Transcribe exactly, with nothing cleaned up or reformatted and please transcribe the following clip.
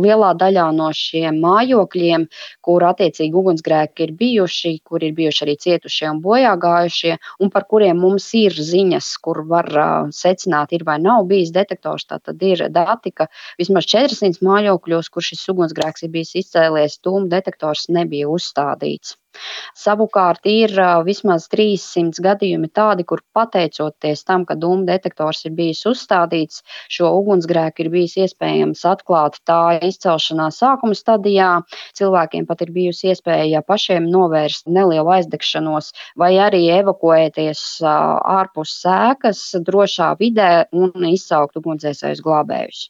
Lielā daļā no šiem mājokļiem, kur attiecīgi ugunsgrēki ir bijuši, kur ir bijuši arī cietušie un bojāgājušie, un par kuriem mums ir ziņas, kur var uh, secināt, ir vai nav bijis detektors. Tātad ir dati, ka vismaz četrsimt mājokļos, kur šis ugunsgrēks ir bijis izcēlies, dūmu detektors nebija uzstādīts. Savukārt ir uh, vismaz trīssimt gadījumi tādi, kur pateicoties tam, ka dūmu detektors ir bijis uzstādīts, šo ugunsgrēku ir bijis iespējams atklāt tā izcelšanās sākuma stadijā. Cilvēkiem pat ir bijusi iespēja pašiem novērst nelielu aizdegšanos vai arī evakuēties uh, ārpus ēkas drošā vidē un izsaukt ugunsdzēsējus glābējus.